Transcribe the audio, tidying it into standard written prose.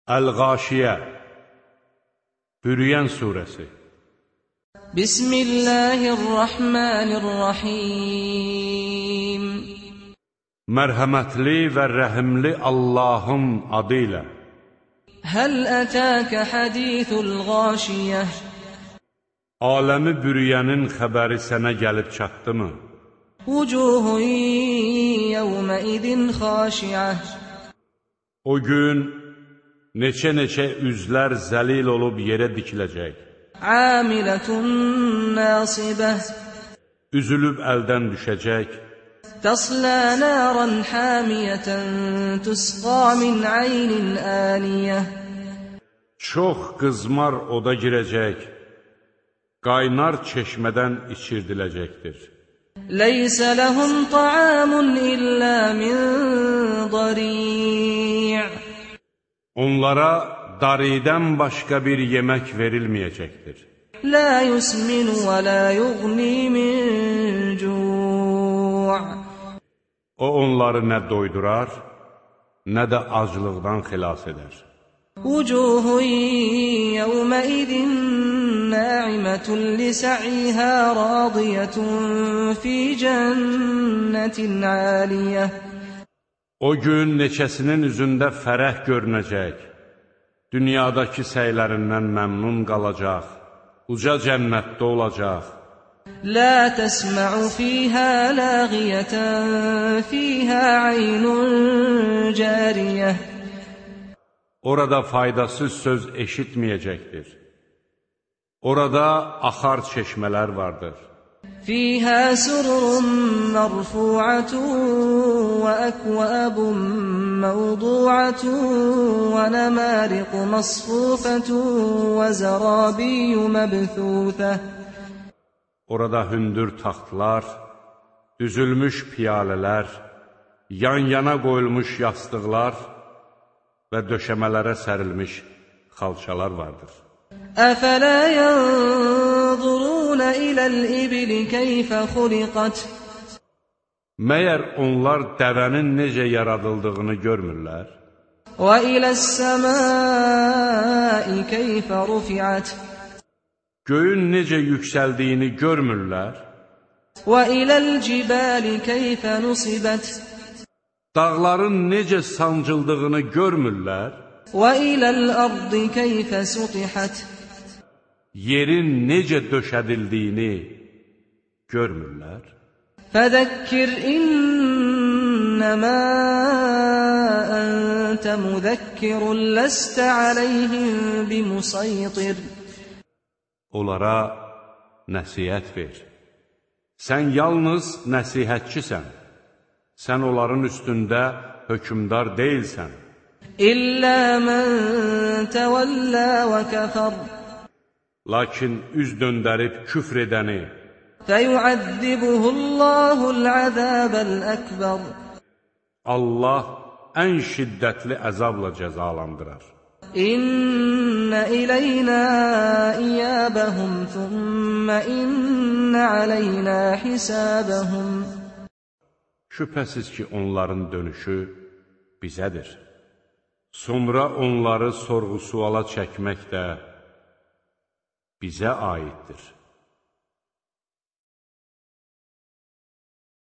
Əl-Ğaşiyə Bürüyən surəsi. Bismillahirrahmanirrahim. Mərhəmətli və rəhimli Allahın adı ilə. Həl ətəkə hədithul Ğaşiyyə. Aləmi bürüyənin xəbəri sənə gəlib çatdımı? Vucuhun yevmə idin xaşiyə. O gün neçə üzlər zəlil olub yerə dikiləcək. Amilətun nasibə. Üzülüb əldən düşəcək. Təslə naran hamiyətən tüsqa min aynin aniyə. Çox qızmar oda girəcək, qaynar çeşmədən içirdiləcəkdir. Leysə ləhum ta'amun illə min dari'. Onlara daridən başqa bir yemək verilməyəcəkdir. La yusmin və la yughni min cu'. O onları nə doydurar, nə də aclıqdan xilas edər. Vucuhun yevmə idin na'imətun li sa'ihə radiyətun fi cənnətin aliyyə. O gün neçəsinin üzündə fərəh görünəcək, dünyadakı səylərindən məmnun qalacaq, uca cənnətdə olacaq. La təsmə'u fiyhə lağiyətən fiyhə aynun cəriyyə. Orada faydasız söz eşitməyəcəkdir. Orada axar çeşmələr vardır. Fiyhə sururun mərfu'atun və əkvəbun məvdu'atun və nəmariqu masfufətun və zərabiyyü məbthūthə. Orada hündür taxtlar, düzülmüş piyalələr, yan-yana qoyulmuş yastıqlar və döşəmələrə sərilmiş xalçalar vardır. Əfələ yənzurunə iləl-ibili keyfə xuliqət. Məyər onlar dəvənin necə yaradıldığını görmürlər? Və iləs-səmai keyfə rufi'ət. Göyün necə yüksəldiyini görmürlər? Və iləl-cibali keyfə nusibət. Dağların necə sancıldığını görmürlər? Və iləl-ardı keyfə sutihət. Yerin necə döşədildiyini görmürlər? Fədəkkir innəmə əntə müzəkkirun ləstə aləyhim bimusaytir. Onlara nəsihət ver. Sən yalnız nəsihətçisən. Sən onların üstündə hökmdar deyilsən. İllə mən təvəllə və kəfər. Lakin üz döndərib küfr edəni fəyuəzzibuhullahul-əzəbəl-əkbər. Allah ən şiddətli əzabla cəzalandırar. İnnə iləynə iyəbəhum thümmə innə aleynə hisəbəhum. Şübhəsiz ki, onların dönüşü bizədir. Sonra onları sorğu-suala çəkmək də bizə aiddir.